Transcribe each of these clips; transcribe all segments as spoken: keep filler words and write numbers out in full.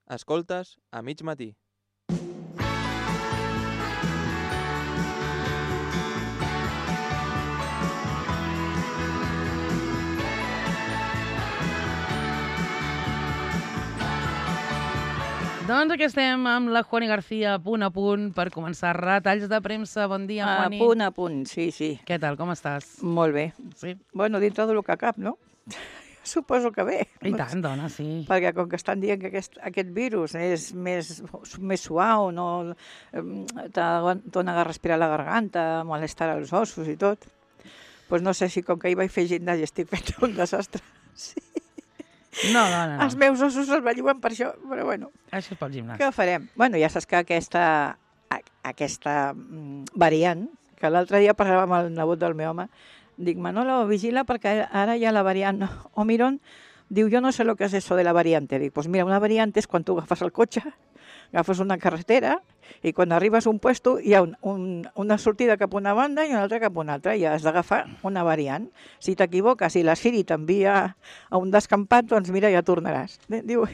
Escoltes a mig matí. Doncs aquí estem amb la Juani García, punt a punt, per començar retalls de premsa. Bon dia, Juani. A punt a punt, sí, sí. Què tal, com estàs? Molt bé. Sí? Bueno, dintre del que cap, no? Suposo que bé. I tant, dona, sí. Perquè com que estan dient que aquest, aquest virus és més, més suau, no te dona a respirar la garganta, malestar als ossos i tot, doncs no sé si com que ahir vaig fer gimnàsia estic fent un desastre. Sí. No, dona, no. Els meus ossos es belluguen per això, però bueno. Això és pel gimnàs. Què farem? Bueno, ja saps que aquesta, aquesta variant, que l'altre dia parlava amb el nebot del meu home, dic, Manolo, vigila perquè ara hi ha la variant Omicron. Diu, yo no sé lo que es eso de la variante. Dic, pues mira, una variante és quan tu agafes el cotxe, agafes una carretera i quan arribes a un puesto hi ha un, un, una sortida cap a una banda i una altra cap a una altra i has d'agafar una variant. Si t'equivoques i la Siri t'envia a un descampat, doncs mira, ja tornaràs. Diu,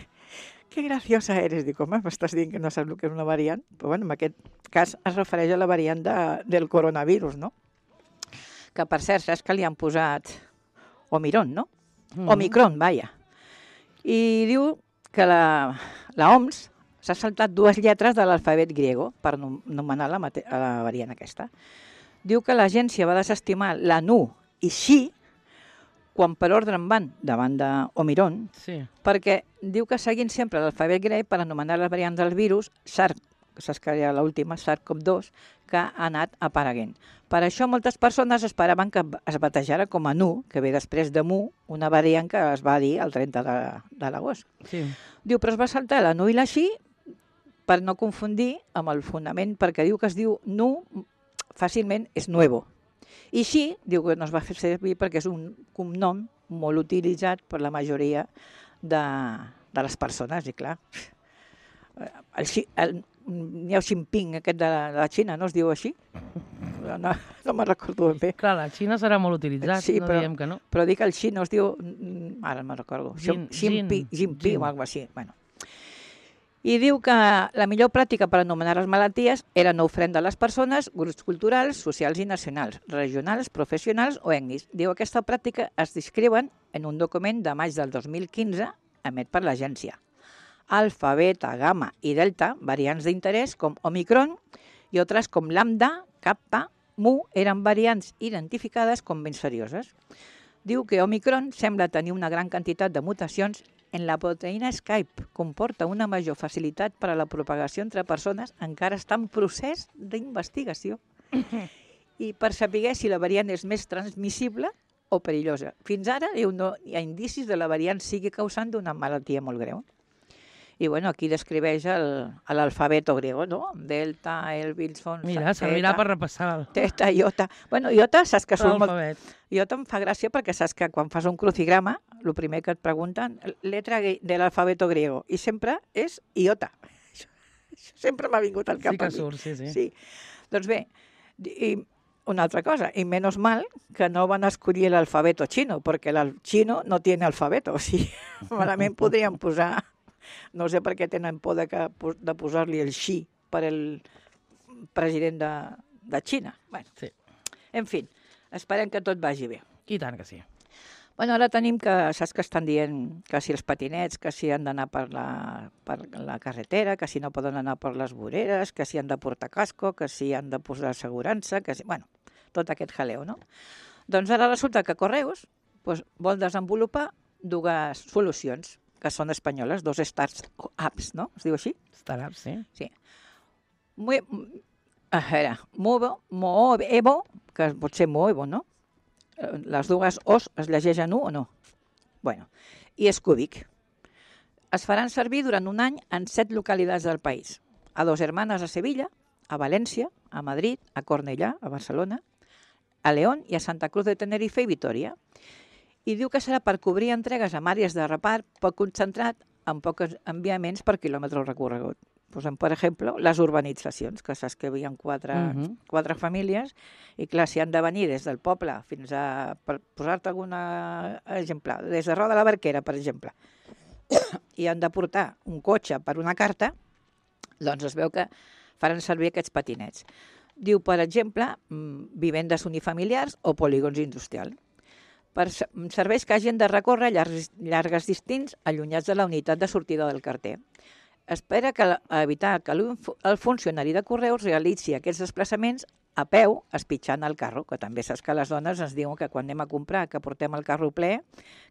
que graciosa eres. Dic, home, m'estàs dient que no saps el que és una variant? Però bueno, en aquest cas es refereix a la variant de, del coronavirus, no? Que per cert, saps que li han posat Omicron, no? Mm. Omicron, vaja. I diu que la, la O M S s'ha saltat dues lletres de l'alfabet griego per anomenar la, la variant aquesta. Diu que l'agència va desestimar la N U i Xi quan per ordre en van davant d'Omicron, sí. Perquè diu que seguint sempre l'alfabet grec per anomenar les variants del virus, SARS, que saps que era l'última, SARS CoV dos, que ha anat apareguent. Per això moltes persones esperaven que es batejara com a N U, que ve després de Mu, una variant que es va dir el trenta de l'agost. Sí. Diu, però es va saltar la N U i la Xi per no confundir amb el fonament, perquè diu que es diu N U, fàcilment és nuevo. I Xi diu que no es va fer servir perquè és un cognom molt utilitzat per la majoria de, de les persones, i clar, el, el, Niao Xinping, aquest de la, de la Xina, no es diu així? No, no me'n recordo ben bé. Clar, la Xina serà molt utilitzat, sí, no però, diem que no. Però dic el Xi no es diu, ara me'n recordo, Xinping, Xinping o alguna cosa així. Bueno. I diu que la millor pràctica per anomenar les malalties era no ofendre les persones, grups culturals, socials i nacionals, regionals, professionals o ètnics. Diu que aquesta pràctica es descriuen en un document de maig del dos mil quinze emet per l'agència. Alfa, beta, gamma i delta, variants d'interès com Omicron i altres com lambda, kappa, mu, eren variants identificades com ben serioses. Diu que Omicron sembla tenir una gran quantitat de mutacions en la proteïna Skype, comporta una major facilitat per a la propagació entre persones, encara està en procés d'investigació. I per saber si la variant és més transmissible o perillosa. Fins ara diu, no hi ha indicis de la variant sigui causant d'una malaltia molt greu. I bueno, aquí descriveix l'alfabeto griego, no? Delta, el, Wilson... Mira, servirà per repassar. Teta, iota... Bueno, iota, saps que surt molt... Iota em fa gràcia perquè saps que quan fas un crucigrama, el primer que et pregunten, letra de l'alfabeto griego, i sempre és iota. Això, això sempre m'ha vingut al cap. Sí que surt, sí, sí. Sí. Doncs bé, i una altra cosa, i menys mal que no van escollir l'alfabeto xino, perquè el xino no té alfabeto, o sigui, malament podrien posar... No sé per què tenen por de, que, de posar-li el Xi per el president de, de Xina. Bueno, sí. En fi, esperem que tot vagi bé. I tant que sí. Bueno, ara tenim que, saps que estan dient que si els patinets, que si han d'anar per la, per la carretera, que si no poden anar per les voreres, que si han de portar casco, que si han de posar assegurança, que si... Bueno, tot aquest jaleo, no? Doncs ara resulta que Correus doncs, vol desenvolupar dues solucions que són espanyoles, dos startups, no? Es diu així? Startups, sí. Sí. Muy, a veure, Movo, Moevo, que pot ser Moevo, no? Les dues O's es llegeixen U o no? Bueno, i Scúbic. Es faran servir durant un any en set localitats del país. A Dos Hermanas a Sevilla, a València, a Madrid, a Cornellà, a Barcelona, a León i a Santa Cruz de Tenerife i Vitoria. I diu que serà per cobrir entregues amb àrees de repart poc concentrat en pocs enviaments per quilòmetre recorregut. Pues, per exemple, les urbanitzacions, que saps que hi havia quatre, uh -huh. quatre famílies, i clar, si han de venir des del poble fins a, per posar-te algun exemple, des de Roda de la Barquera, per exemple, i han de portar un cotxe per una carta, doncs es veu que faran servir aquests patinets. Diu, per exemple, vivendes unifamiliars o polígons industrials, per serveis que hagin de recórrer llargs, llargues distints allunyats de la unitat de sortida del carter. Espera que evitar que el funcionari de correus realitzi aquests desplaçaments a peu, espitxant el carro, que també saps que les dones ens diuen que quan anem a comprar, que portem el carro ple,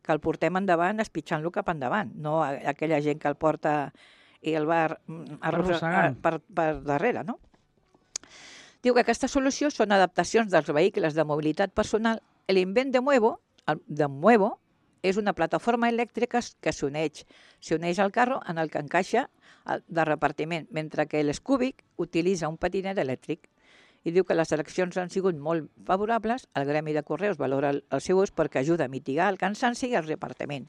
que el portem endavant espitxant-lo cap endavant, no aquella gent que el porta i el va arrossegant per, per darrere, no? Diu que aquesta solució són adaptacions dels vehicles de mobilitat personal. L'invent de Muevo, de Muevo és una plataforma elèctrica que s'uneix s'uneix al carro en el que encaixa de repartiment, mentre que l'Scoobic utilitza un patinet elèctric. I diu que les eleccions han sigut molt favorables, el gremi de correus valora el, el seu ús perquè ajuda a mitigar el cansanci i el repartiment.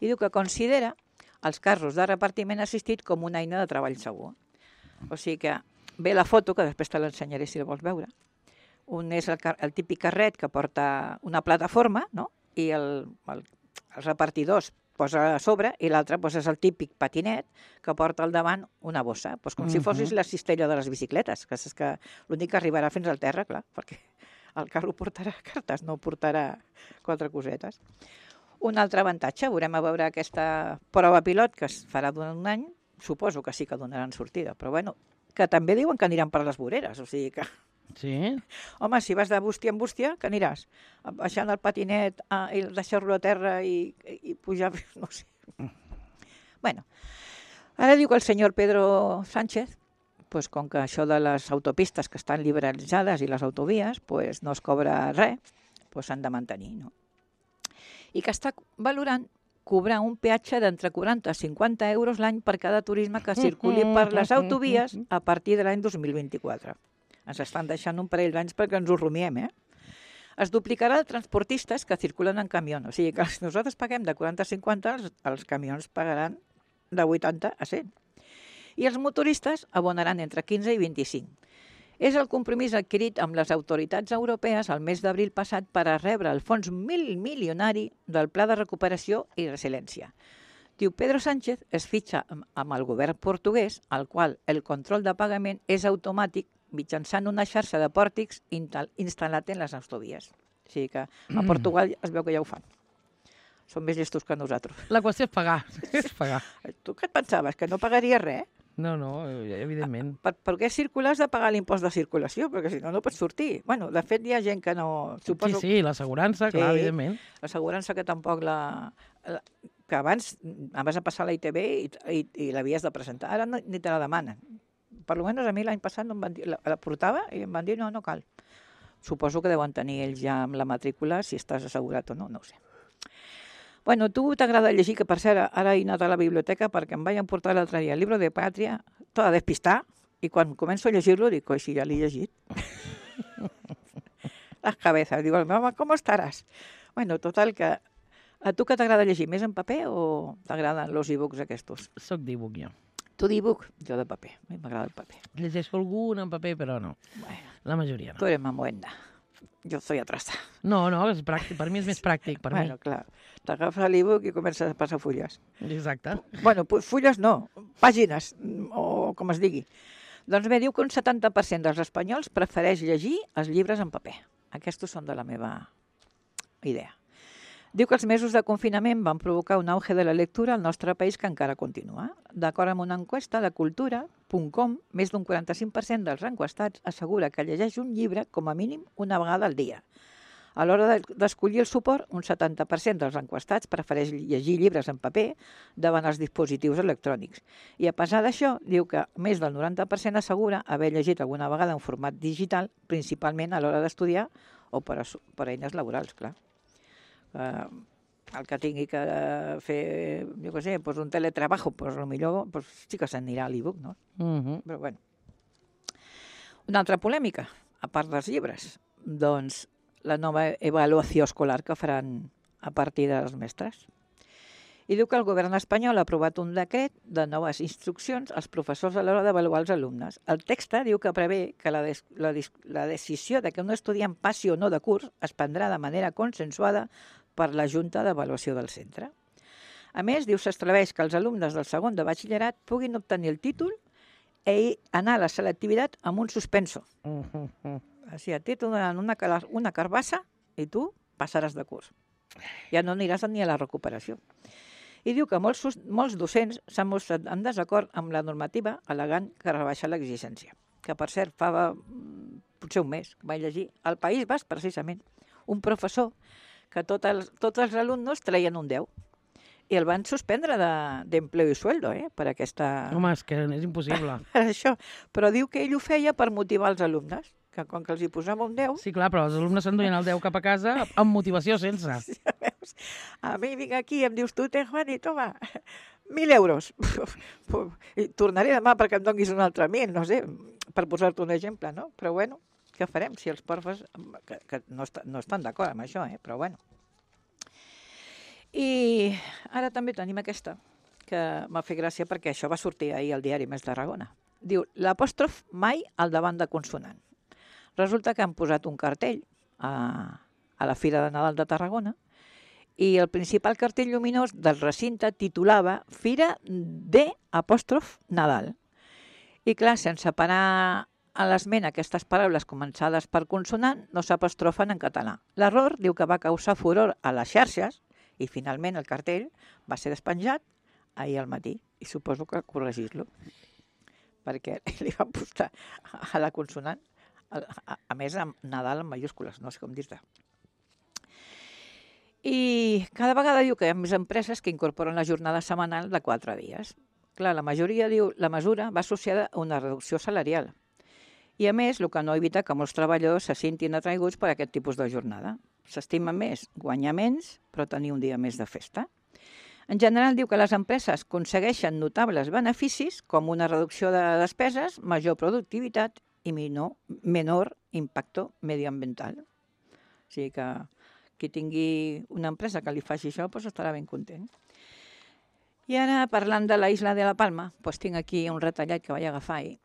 I diu que considera els carros de repartiment assistit com una eina de treball segur. O sigui que ve la foto, que després te l'ensenyaré si la vols veure. Un és el, el típic carret que porta una plataforma, no? I el, el, els repartidors posa a sobre, i l'altre doncs, és el típic patinet que porta al davant una bossa, doncs, com uh -huh. si fossis la cistella de les bicicletes, que és que l'únic que arribarà fins al terra, clar, perquè el carro portarà cartes, no portarà quatre cosetes. Un altre avantatge, veurem a veure aquesta prova pilot que es farà durant un any, suposo que sí que donaran sortida, però bueno, que també diuen que aniran per les voreres, o sigui que... Sí? Home, si vas de bústia en bústia, que aniràs? Baixant el patinet ah, i deixar-lo a terra i, i pujar... No sé. Bueno, ara diu que el senyor Pedro Sánchez, pues, com que això de les autopistes que estan liberalitzades i les autovies pues, no es cobra res, pues, s'han de mantenir, no? I que està valorant cobrar un peatge d'entre quaranta a cinquanta euros l'any per cada turisme que circuli per les autovies a partir de l'any dos mil vint-i-quatre. Ens estan deixant un parell d'anys perquè ens ho rumiem, eh? Es duplicarà els transportistes que circulen en camió. O sigui que si nosaltres paguem de quaranta a cinquanta, els, els camions pagaran de vuitanta a cent. I els motoristes abonaran entre quinze i vint-i-cinc. És el compromís adquirit amb les autoritats europees el mes d'abril passat per a rebre el fons mil milionari del Pla de Recuperació i Resiliència. Diu, Pedro Sánchez es fitxa amb el govern portuguès, al qual el control de pagament és automàtic mitjançant una xarxa de pòrtics instal·lat en les autovies. O sigui que a Portugal es veu que ja ho fan. Són més llestos que nosaltres. La qüestió és pagar. És pagar. Tu què et pensaves? Que no pagaries res? No, no, evidentment. Per, per què circular has de pagar l'impost de circulació? Perquè si no, no pots sortir. Bueno, de fet, hi ha gent que no... Suposo... Sí, sí, l'assegurança, clar, sí, evidentment. L'assegurança que tampoc la... la que abans vas a passar a la I T B i, i, i l'havies de presentar. Ara no, ni te la demanen. Per almenys a mi l'any passat no em van dir, la, la portava i em van dir no, no cal. Suposo que deuen tenir ells ja amb la matrícula si estàs assegurat o no, no ho sé. Bueno, tu t'agrada llegir, que per cert, ara he anat a la biblioteca perquè em vaig emportar l'altre dia el llibre de Pàtria, tot a despistar, i quan començo a llegir-lo dic, oi, si ja l'he llegit. Les cabezas. Diu, home, com estaràs? Bueno, total, que a tu que t'agrada llegir, més en paper o t'agraden els e-books aquests? Soc d'e-book, jo. Tu d'e-book? Jo de paper. A mi m'agrada el paper. Llegeixo algun en paper, però no. Bueno, la majoria no. Tu eres mamuenda. Jo soy atrasa. No, no, és pràctic. Per mi és més pràctic, per bueno, mi. Clar. T'agafes l'e-book i comences a passar fulles. Exacte. Bueno, fulles no, pàgines, o com es digui. Doncs bé, diu que un setanta per cent dels espanyols prefereix llegir els llibres en paper. Aquests són de la meva idea. Diu que els mesos de confinament van provocar un auge de la lectura al nostre país que encara continua. D'acord amb una enquesta de cultura punt com, més d'un quaranta-cinc per cent dels enquestats assegura que llegeix un llibre com a mínim una vegada al dia. A l'hora d'escollir el suport, un setanta per cent dels enquestats prefereix llegir llibres en paper davant els dispositius electrònics. I a pesar d'això, diu que més del noranta per cent assegura haver llegit alguna vegada en format digital, principalment a l'hora d'estudiar o per, a, per a eines laborals, clar. Uh, el que tingui que fer, jo què sé, pues un teletrabajo, pues potser pues sí que s'anirà a l'e-book, no? Uh-huh. Però bueno. Una altra polèmica, a part dels llibres, doncs la nova avaluació escolar que faran a partir dels mestres. I diu que el govern espanyol ha aprovat un decret de noves instruccions als professors a l'hora d'avaluar els alumnes. El text diu que prevé que la, des, la, la decisió de que un estudiant passi o no de curs es prendrà de manera consensuada per la Junta d'Avaluació del centre. A més, diu, s'estableix que els alumnes del segon de batxillerat puguin obtenir el títol i anar a la selectivitat amb un suspenso. Uh, uh, uh. O sigui, a ti t'ho donen una, cala- una carbassa i tu passaràs de curs. Ja no aniràs ni a la recuperació. I diu que molts, sus- molts docents s'han mostrat en desacord amb la normativa al·legant que rebaixa l'exigència. Que, per cert, fa mm, potser un mes que vaig llegir al País Basc, precisament, un professor que tot els, tots els alumnes treien un deu i el van suspendre de- d'empleo i sueldo, eh, per aquesta... Home, és que és impossible. per això. Però diu que ell ho feia per motivar els alumnes, que com que els hi posava un deu, Sí, clar, però els alumnes s'enduien el deu cap a casa amb motivació sense. ja veus, a mi vinc aquí i em dius tu, te, Juan, i toma, mil euros. I tornaré demà perquè em donguis un altre mil, no sé, per posar-te un exemple, no? Però bueno, què farem si els profes que, que no, est no estan d'acord amb això, eh? Però bueno. I ara també tenim aquesta, que m'ha fet gràcia perquè això va sortir ahir al diari Més Tarragona. Diu, l'apòstrof mai al davant de consonant. Resulta que han posat un cartell a, a la Fira de Nadal de Tarragona i el principal cartell lluminós del recinte titulava Fira de apòstrof Nadal. I clar, sense parar a l'esment aquestes paraules començades per consonant no s'apostrofen en català. L'error diu que va causar furor a les xarxes i finalment el cartell va ser despenjat ahir al matí i suposo que corregir-lo perquè li van posar a la consonant, a, a, a més amb Nadal en mayúscules, no sé com dir-te. I cada vegada diu que hi ha més empreses que incorporen la jornada setmanal de quatre dies. Clar, la majoria diu la mesura va associada a una reducció salarial. I a més, el que no evita que molts treballadors se sentin atraiguts per aquest tipus de jornada. S'estima més guanyar menys, però tenir un dia més de festa. En general, diu que les empreses aconsegueixen notables beneficis com una reducció de despeses, major productivitat i menor, menor impacte medioambiental. O sigui que qui tingui una empresa que li faci això doncs estarà ben content. I ara, parlant de la isla de la Palma, doncs tinc aquí un retallat que vaig agafar ahir.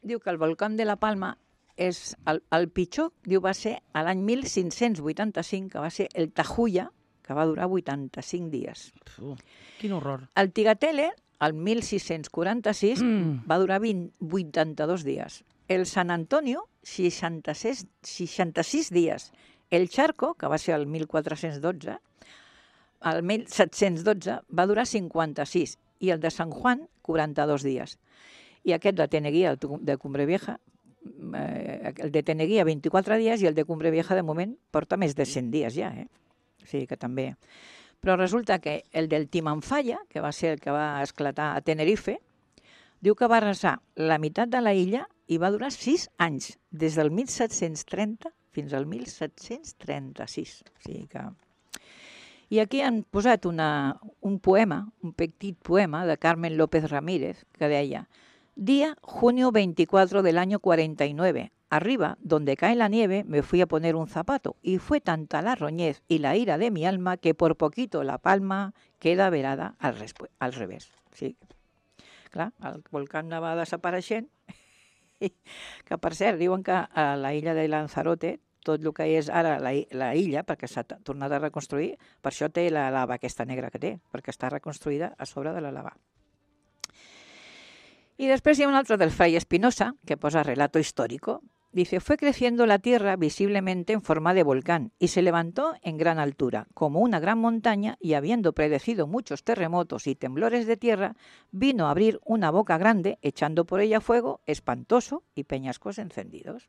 Diu que el volcán de la Palma és el, el pitjor, diu, va ser a l'any mil cinc-cents vuitanta-cinc, que va ser el Tajuya, que va durar vuitanta-cinc dies. Uf, quin horror. El Tigatele, el mil sis-cents quaranta-sis, Mm. va durar vint, vuitanta-dos dies. El San Antonio, seixanta-sis, seixanta-sis dies. El Charco, que va ser el mil quatre-cents dotze, el mil set-cents dotze, va durar cinquanta-sis. I el de San Juan, quaranta-dos dies. I aquest de Teneguía, el de Cumbre Vieja, eh, el de Teneguía vint-i-quatre dies i el de Cumbre Vieja de moment porta més de cent dies ja, eh? O sigui que també. Però resulta que el del Timanfaya, que va ser el que va esclatar a Tenerife, diu que va arrasar la meitat de la illa i va durar sis anys, des del mil set-cents trenta fins al mil set-cents trenta-sis. O sigui que... I aquí han posat una, un poema, un petit poema de Carmen López Ramírez, que deia: Día junio veinticuatro del año cuarenta y nueve. Arriba, donde cae la nieve, me fui a poner un zapato, y fue tanta la roñez y la ira de mi alma que por poquito la palma queda velada al, al revés. Sí. Clar, el volcán va desapareixent, que per cert, diuen que a la illa de Lanzarote, tot el que és ara la, la illa, perquè s'ha tornat a reconstruir, per això té la lava aquesta negra que té, perquè està reconstruïda a sobre de la lava. Y después hay un otro del Fray Espinosa, que posa relato histórico. Dice, fue creciendo la tierra visiblemente en forma de volcán y se levantó en gran altura, como una gran montaña, y habiendo predecido muchos terremotos y temblores de tierra, vino a abrir una boca grande, echando por ella fuego espantoso y peñascos encendidos.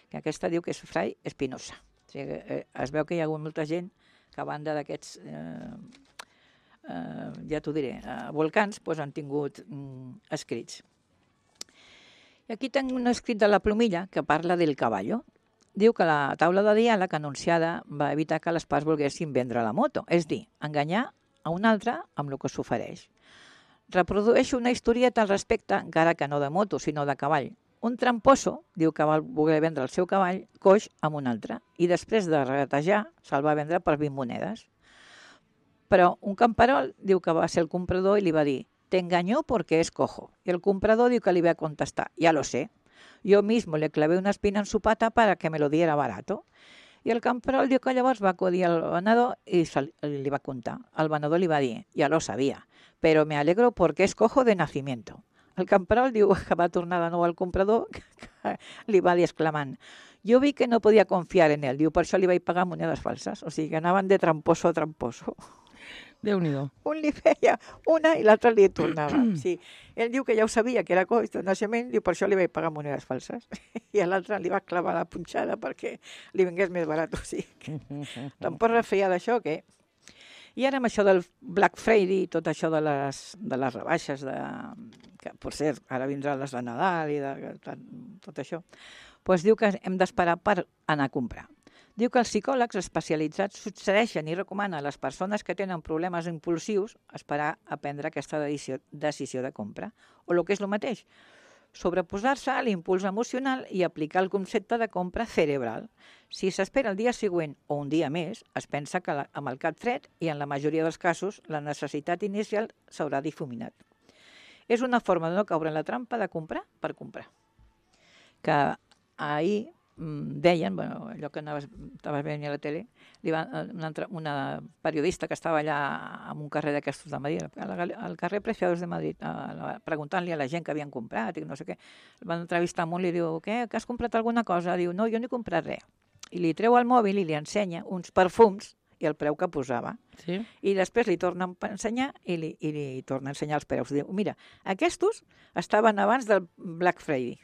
Que aquesta diu que és Fray Espinosa. O sigui, eh, es veu que hi ha hagut molta gent que a banda d'aquests, eh, eh, ja t'ho diré, eh, volcans, doncs han tingut mm, escrits. I aquí tinc un escrit de la Plomilla que parla del caballo. Diu que la taula de diàleg anunciada va evitar que les parts volguessin vendre la moto, és dir, enganyar a un altre amb el que s'ofereix. Reprodueix una historieta al respecte, encara que no de moto, sinó de cavall. Un tramposo diu que va voler vendre el seu cavall coix amb un altre i després de regatejar se'l va vendre per vint monedes. Però un camperol diu que va ser el comprador i li va dir «Te engañó porque es cojo». Y el comprador diu que li va contestar «Ya lo sé, yo mismo le clavé una espina en su pata para que me lo diera barato». I el camperol diu que llavors va acudir al venedor i se li, li va contar. El venedor li va dir, ja lo sabia, però me alegro porque es cojo de nacimiento. El camperol diu que va tornar de nou al comprador, que li va dir exclamant, jo vi que no podia confiar en ell, diu, per això li vaig pagar monedes falses. O sigui, que anaven de tramposo a tramposo. Déu-n'hi-do. Un li feia una i l'altre li tornava. Sí. Ell diu que ja ho sabia, que era coix de naixement, diu, per això li vaig pagar monedes falses. I a l'altre li va clavar la punxada perquè li vingués més barat. O sigui, que tampoc refeia d'això, que... I ara amb això del Black Friday i tot això de les, de les rebaixes, de, que per cert, ara vindran les de Nadal i de, de, tot això, doncs diu que hem d'esperar per anar a comprar. Diu que els psicòlegs especialitzats suggereixen i recomanen a les persones que tenen problemes impulsius esperar a prendre aquesta decisió, decisió de compra. O el que és el mateix, sobreposar-se a l'impuls emocional i aplicar el concepte de compra cerebral. Si s'espera el dia següent o un dia més, es pensa que la, amb el cap fred i en la majoria dels casos la necessitat inicial s'haurà difuminat. És una forma de no caure en la trampa de comprar per comprar. Que ahir deien, bueno, allò que anaves, estaves veient a la tele, li va, una, una periodista que estava allà en un carrer d'aquestos de Madrid, al carrer Preciados de Madrid, preguntant-li a la gent que havien comprat i no sé què, el van entrevistar molt i li diu, què, que has comprat alguna cosa? Diu, no, jo no he comprat res. I li treu el mòbil i li ensenya uns perfums i el preu que posava. Sí? I després li torna a ensenyar i li, i li torna a ensenyar els preus. Diu, mira, aquests estaven abans del Black Friday,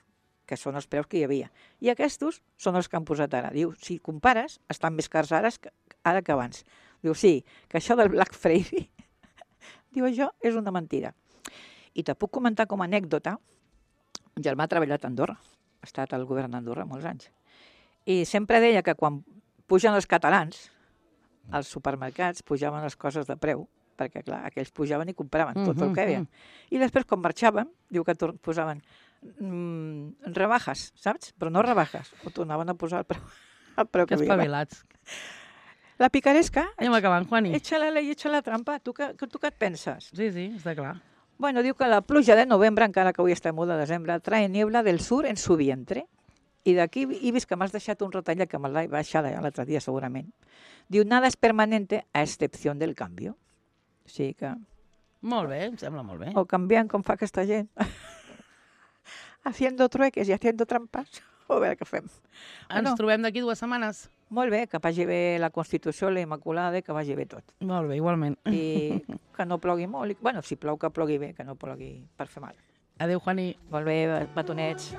que són els preus que hi havia. I aquests són els que han posat ara. Diu, si compares, estan més cars ara que, ara que abans. Diu, sí, que això del Black Friday, diu, això és una mentida. I te puc comentar com a anècdota, un germà ha treballat a Andorra, ha estat al govern d'Andorra molts anys, i sempre deia que quan pugen els catalans, als supermercats pujaven les coses de preu, perquè clar, aquells pujaven i compraven tot el que havien. I després, quan marxaven, diu que posaven Mm, rebajas, saps? Però no rebajas. Ho tornaven a posar el preu, el preu que, que havia. Que espavilats. La picaresca... Anem acabant, Juani. Echa-la i echa la trampa. Tu, que, tu què et penses? Sí, sí, està clar. Bueno, diu que la pluja de novembre, encara que avui estem molt de desembre, trae niebla del sur en su vientre. I d'aquí he vist que m'has deixat un retallet que me'l vaig baixar l'altre dia, segurament. Diu, nada es permanente a excepció del canvi. O sigui que... Molt bé, em sembla molt bé. O canviant com fa aquesta gent. Haciendo trueques i haciendo trampas. A veure què fem. Ens Bueno, trobem d'aquí dues setmanes. molt bé, que vagi bé la Constitució, la Immaculada, i que vagi bé tot. Molt bé, igualment. I que no plogui molt. i- Bueno, si plou, que plogui bé, que no plogui per fer mal. Adéu, Juani. Molt bé, batonets.